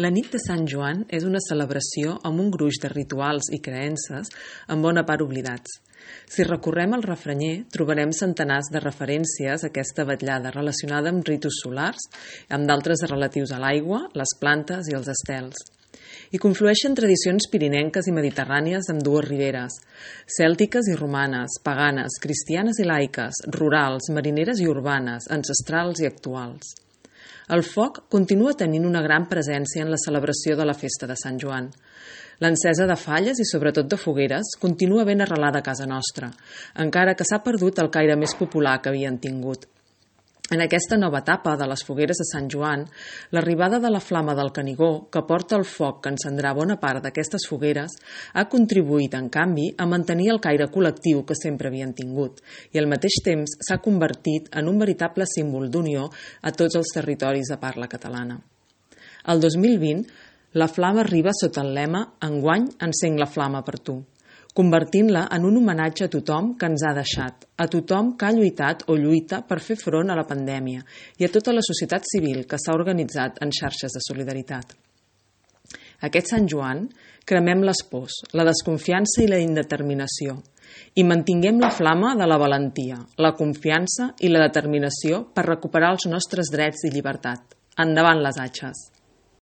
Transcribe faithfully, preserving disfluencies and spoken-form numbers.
La nit de Sant Joan és una celebració amb un gruix de rituals i creences en bona part oblidats. Si recorrem al refranyer, trobarem centenars de referències a aquesta vetllada relacionada amb ritus solars, amb d'altres relatius a l'aigua, les plantes i els estels. Hi conflueixen tradicions pirinenques i mediterrànies amb dues riberes, cèltiques i romanes, paganes, cristianes i laiques, rurals, marineres i urbanes, ancestrals i actuals. El foc continua tenint una gran presència en la celebració de la festa de Sant Joan. L'encesa de falles i sobretot de fogueres continua ben arrelada a casa nostra, encara que s'ha perdut el caire més popular que havien tingut. En aquesta nova etapa de les fogueres de Sant Joan, l'arribada de la flama del Canigó, que porta el foc que encendrà bona part d'aquestes fogueres, ha contribuït, en canvi, a mantenir el caire col·lectiu que sempre havien tingut i al mateix temps s'ha convertit en un veritable símbol d'unió a tots els territoris de parla catalana. El dos mil vint, la flama arriba sota el lema «Enguany encenc la flama per tu», convertint-la en un homenatge a tothom que ens ha deixat, a tothom que ha lluitat o lluita per fer front a la pandèmia i a tota la societat civil que s'ha organitzat en xarxes de solidaritat. Aquest Sant Joan, cremem les pors, la desconfiança i la indeterminació i mantinguem la flama de la valentia, la confiança i la determinació per recuperar els nostres drets i llibertat. Endavant les atxes!